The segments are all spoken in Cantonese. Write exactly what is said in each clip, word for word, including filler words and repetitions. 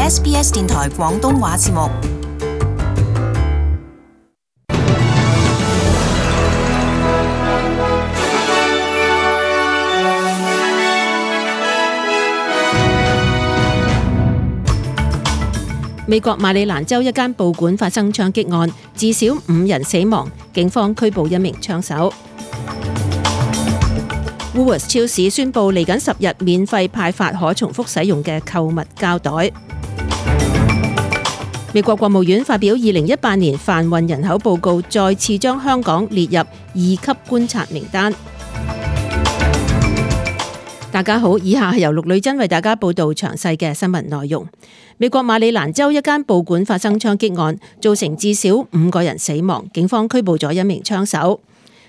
S B S 電台廣東話節目。美國馬里蘭州一間報館發生槍擊案，至少五人死亡，警方拘捕一名槍手。Woolworths 超市宣布嚟緊十日免費派發可重複使用嘅購物膠袋。美國國務院發表二零一八年販運人口報告，再次將香港列入二級觀察名單。大家好，以下係由陸女真為大家報道詳細嘅新聞內容。美國馬里蘭州一間報館發生槍擊案，造成至少五個人死亡，警方拘捕咗一名槍手。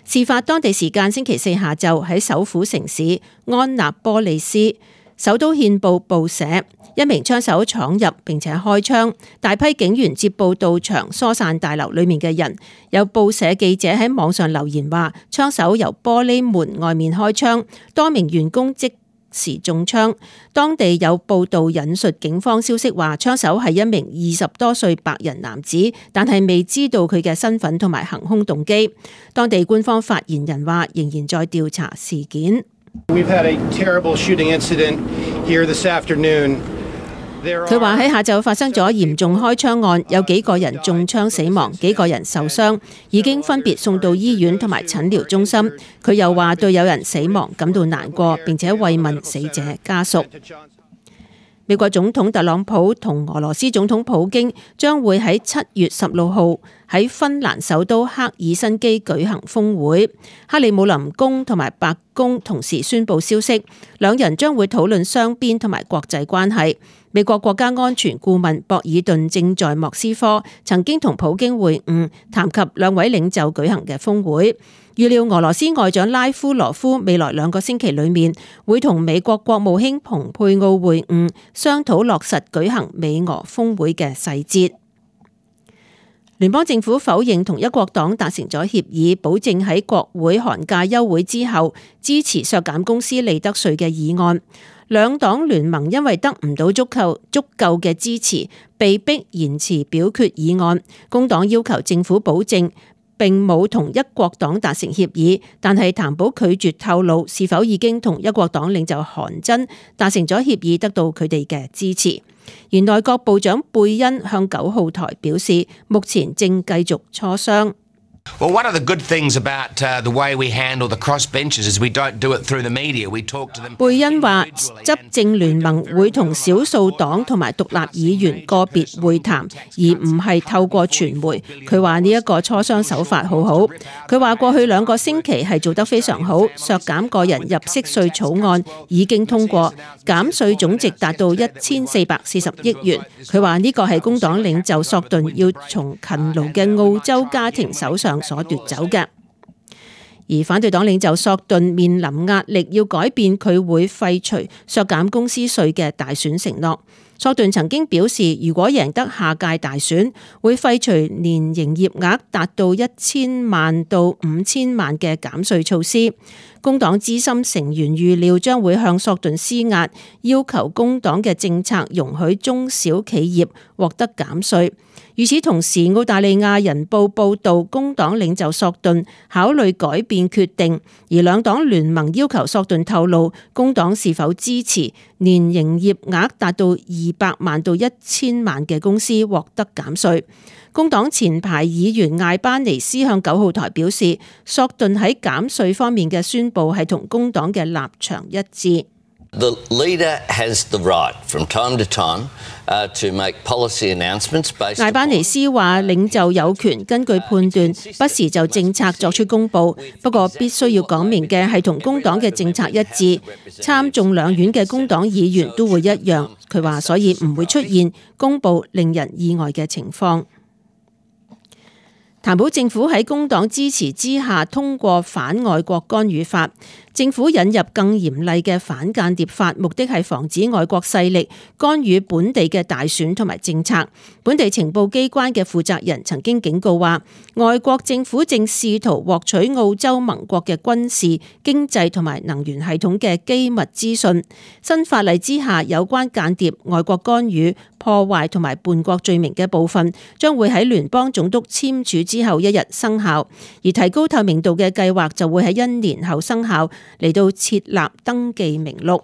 事發當地時間星期四下晝喺首府城市安納波利斯，首都憲報報社，一名槍手闖入並且開槍，大批警員接報到場疏散大樓裡面嘅人。有報社記者喺網上留言話，槍手由玻璃門外面開槍，多名員工即時中槍。當地有報道引述警方消息話，槍手係一名二十多歲白人男子，但係未知道佢嘅身份同埋行兇動機。當地官方發言人話，仍然在調查事件。We've had a terrible shooting incident here this afternoon. 佢話喺下晝發生咗嚴重開槍案，有幾個人中槍死亡，幾個人受傷，已經分別送到醫院同埋診療中心。佢又話對有人死亡感到難過，並且慰問死者家屬。美國總統特朗普同俄羅斯總統普京將會喺七月十六號喺芬蘭首都赫爾辛基舉行峰會。克里姆林宮同埋白宮同時宣布消息，兩人將會討論雙邊同埋國際關係。美國國家安全顧問博爾頓正在莫斯科，曾經同普京會晤，談及兩位領袖舉行嘅峰會。預料俄羅斯外長拉夫羅夫未來兩個星期裏面會同美國國務卿蓬佩奧會晤，商討落實舉行美俄峰會嘅細節。聯邦政府否認同一國黨達成咗協議，保證喺國會寒假休會之後支持削減公司利得稅嘅議案。兩黨聯盟因為得唔到足夠足夠嘅支持，被迫延遲表決議案。工黨要求政府保證並冇同一國黨達成協議，但係譚寶拒絕透露是否已經同一國黨領袖韓真達成咗協議，得到佢哋嘅支持。而內閣部長貝恩向九號台表示，目前正繼續磋商。Well, one of the good things about uh, the way we handle the crossbenchers is we don't do it through the media. We talk to them. 貝恩話，執政聯盟會同少數黨同埋獨立議員個別會談，而唔係透過傳媒。佢話呢一個磋商手法好好。佢話過去兩個星期係做得非常好，削減個人入息稅草案已經通過，減稅總值達到一千四百四十億元。佢話呢個係工黨領袖索頓要從勤勞嘅澳洲家庭手上所奪走嘅。而反對黨領袖索頓面臨壓力，要改變佢會廢除削減公司稅嘅大選承諾。索頓曾經表示，如果贏得下屆大選，會廢除年營業額達到一千萬到五千萬嘅減稅措施。工黨資深成員預料將會向索頓施壓，要求工黨嘅政策容許中小企業獲得減稅。與此同時，澳大利亞人報報導，工黨領袖索頓考慮改變決定，而兩黨聯盟要求索頓透露工黨是否支持年營業額達到二百萬到一千萬嘅公司獲得減稅。工黨前排議員艾班尼斯向九號台表示，索頓喺減稅方面嘅宣佈係同工黨嘅立場一致。The leader has the right from time to time uh, to make policy announcements based. 艾班尼斯話，領袖有權根據判斷，不時就政策作出公佈，不過必須要講明嘅係同工黨嘅政策一致。參眾兩院嘅工黨議員都會一樣。佢話，所以唔會出現公佈令人意外嘅情況。譚寶政府喺工黨支持之下通過反外國干預法，政府引入更嚴厲嘅反間諜法，目的係防止外國勢力干預本地嘅大選同埋政策。本地情報機關嘅負責人曾經警告話，外國政府正試圖獲取澳洲盟國嘅軍事、經濟同埋能源系統嘅機密資訊。新法例之下，有關間諜、外國干預、破壞同埋叛國罪名嘅部分，將會喺聯邦總督簽署之後一日生效，而提高透明度嘅計劃就會喺一年後生效，嚟到設立登記名錄。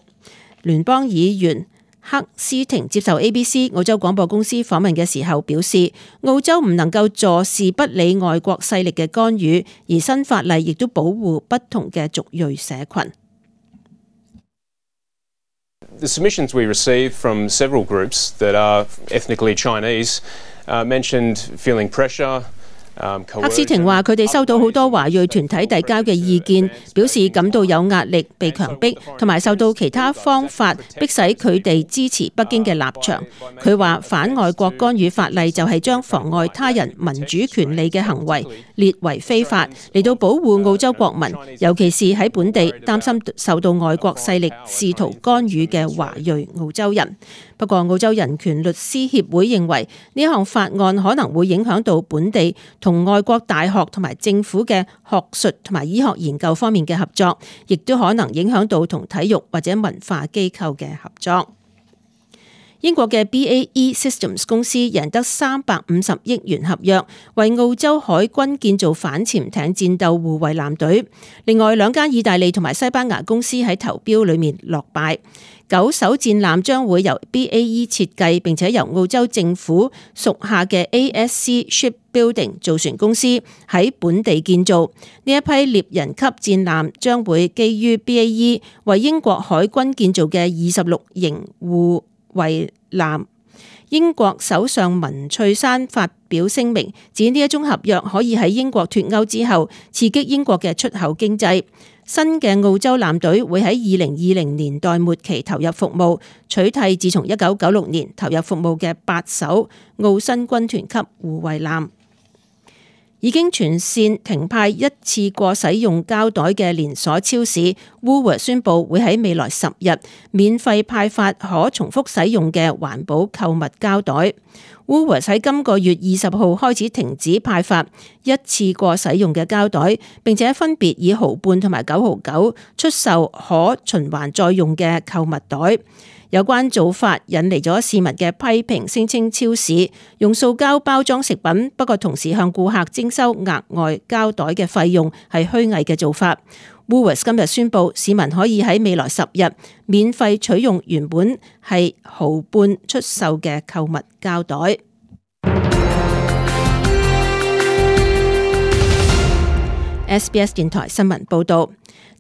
聯邦議員克斯廷接受 A B C 澳洲廣播公司訪問嘅時候表示，澳洲唔能夠坐視不理外國勢力嘅干預，而新法例亦都保護不同嘅族裔社群。The submissions we received from several groups that are ethnically Chinese uh, mentioned feeling pressure. 克斯廷話：佢哋收到好多華裔團體遞交嘅意見，表示感到有壓力、被強迫，同埋受到其他方法迫使佢哋支持北京嘅立場。佢話反外國干預法例就係將妨礙他人民主權利嘅行為列為非法，嚟到保護澳洲國民，尤其是喺本地擔心受到外國勢力試圖干預嘅華裔澳洲人。不過，澳洲人權律師協會認為呢項法案可能會影響到本地同外國大學同埋政府嘅學術同埋醫學研究方面嘅合作，亦都可能影響到同體育或者文化機構嘅合作。英國嘅 B A E Systems 公司贏得三百五十億元合約，為澳洲海軍建造反潛艇戰鬥護衛艦隊。另外兩間意大利同埋西班牙公司喺投標裏面落敗。九艘戰艦將會由 B A E 設計，並且由澳洲政府屬下嘅 A S C Shipbuilding 造船公司喺本地建造。呢一批獵人級戰艦將會基於 B A E 為英國海軍建造嘅二十六型護衛艦。英國首相文翠珊發表聲明，指呢一種合約可以喺英國脫歐之後刺激英國嘅出口經濟。新嘅澳洲艦隊會喺二零二零年代末期投入服務，取替自從一九九六年投入服務嘅八艘澳新軍團級護衛艦。已經全線停派一次過使用膠袋嘅連鎖超市 Woolworths 宣布會喺未來十日免費派發可重複使用嘅環保購物膠袋。Woolworths 喺今個月二十號開始停止派發一次過使用嘅膠袋，並且分別以毫半同埋九毫九出售可循環再用嘅購物袋。有關做法引嚟咗市民嘅批評，聲稱超市用塑膠包裝食品，不過同時向顧客徵收額外膠袋嘅費用係虛偽嘅做法。Woolworths 今日宣布，市民可以喺未來十日免費取用原本係毫半出售嘅購物膠袋。S B S 電台新聞報導，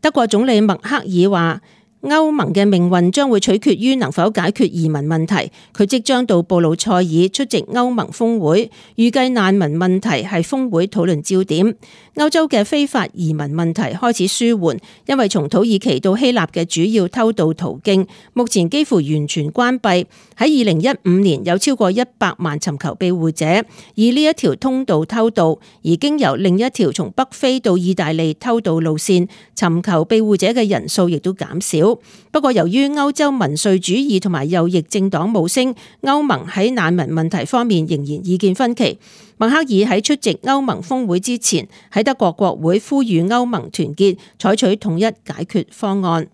德國總理默克爾話，歐盟嘅命運將會取決於能否解決移民問題。佢即將到布魯塞爾出席歐盟峰會，預計難民問題係峰會討論焦點。歐洲嘅非法移民問題開始舒緩，因為從土耳其到希臘嘅主要偷渡途徑目前幾乎完全關閉。喺二零一五年有超過一百萬尋求庇護者以呢一條通道偷渡，而經由另一條從北非到意大利偷渡路線尋求庇護者嘅人數亦都減少。不過由於歐洲民粹主義同埋右翼政黨冒升，歐盟喺難民問題方面仍然意見分歧。默克爾喺出席歐盟峰會之前，喺德國國會呼籲歐盟團結，採取統一解決方案。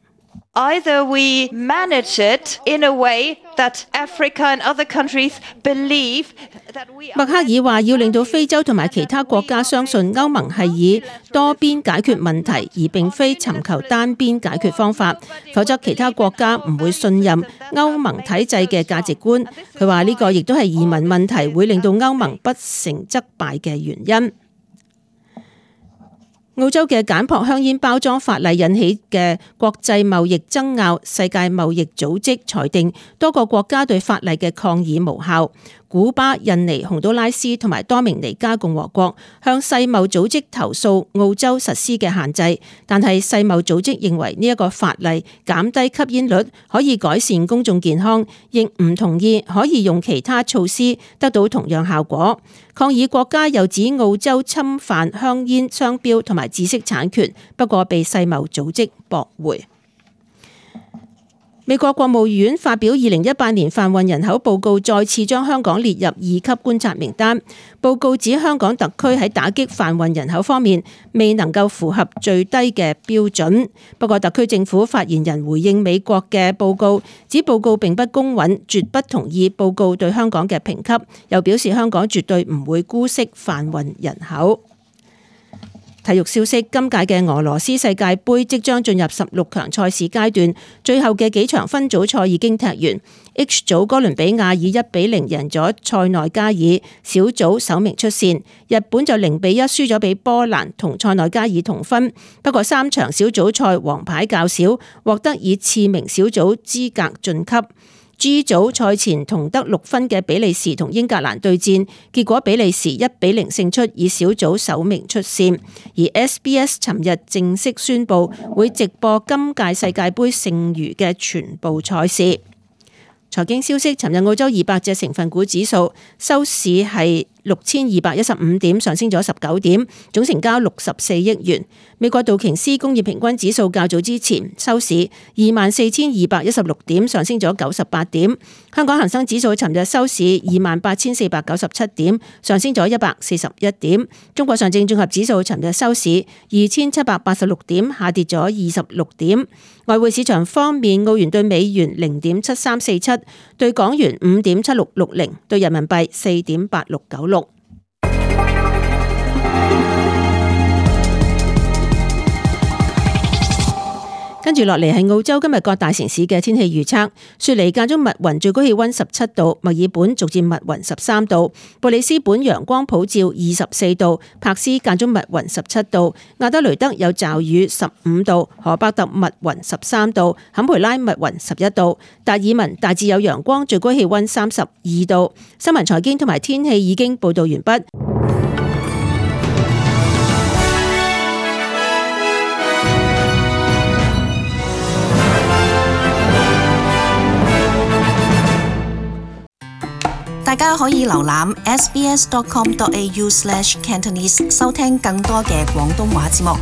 Either we manage it in a way that Africa and other countries believe that we are... 默克爾話要令到非洲同埋其他國家相信歐盟係以多邊解決問題，而並非尋求單邊解決方法，否則其他國家唔會信任歐盟體制嘅價值觀。佢話呢個亦都係移民問題會令到歐盟不成則敗嘅原因。澳洲嘅簡樸香煙包裝法例引起嘅國際貿易爭拗，世界貿易組織裁定多個國家對法例嘅抗議無效。古巴、印尼、洪都拉斯同埋多明尼加共和國向世貿組織投訴澳洲實施嘅限制，但係世貿組織認為呢一個法例減低吸煙率，可以改善公眾健康，亦唔同意可以用其他措施得到同樣效果。抗議國家又指澳洲侵犯香煙商標同埋知識產權，不過被世貿組織駁回。美國國務院發表二零一八年販運人口報告，再次將香港列入二級觀察名單。報告指香港特區喺打擊販運人口方面未能夠符合最低嘅標準。不過特區政府發言人回應美國嘅報告，指報告並不公允，絕不同意報告對香港嘅評級，又表示香港絕對唔會姑息販運人口。體育消息，今屆嘅俄羅斯世界盃即將進入十六強賽事階段，最後嘅幾場分組賽已經踢完。H 組哥倫比亞以一比零贏咗塞內加爾，小組首名出線。日本就零比一輸咗俾波蘭，同塞內加爾同分。不過三場小組賽黃牌較少，獲得以次名小組資格晉級。G 組賽前同得六分嘅比利時同英格蘭對戰，結果比利時一比零勝出，以小組首名出線。而 S B S 尋日正式宣布會直播今屆世界盃剩餘嘅全部賽事。財經消息，尋日澳洲二百隻成分股指數收市係六千二百一十五點，上升咗十九點，總成交六十四億元。美國道瓊斯工業平均指數較早之前收市二萬四千二百一十六點，上升咗九十八點。香港恒生指數尋日收市二萬八千四百九十七點，上升咗一百四十一點。中國上證綜合指數尋日收市二千七百八十六點，下跌咗二十六點。外匯市場方面，澳元對美元零點七三四七，對港元五點七六六零，對人民幣四點八六九六。跟住落嚟係澳洲今日各大城市嘅天氣預測。雪梨間中密雲，最高氣溫十七度；墨爾本逐漸密雲十三度；布里斯本陽光普照二十四度；柏斯間中密雲十七度；亞德雷德有驟雨十五度；荷伯特密雲十三度；坎培拉密雲十一度；達爾文大致有陽光，最高氣溫三十二度。新聞財經同埋天氣已經報道完畢。大家可以瀏覽 s b s dot com dot a u slash cantonese 收聽更多嘅廣東話節目。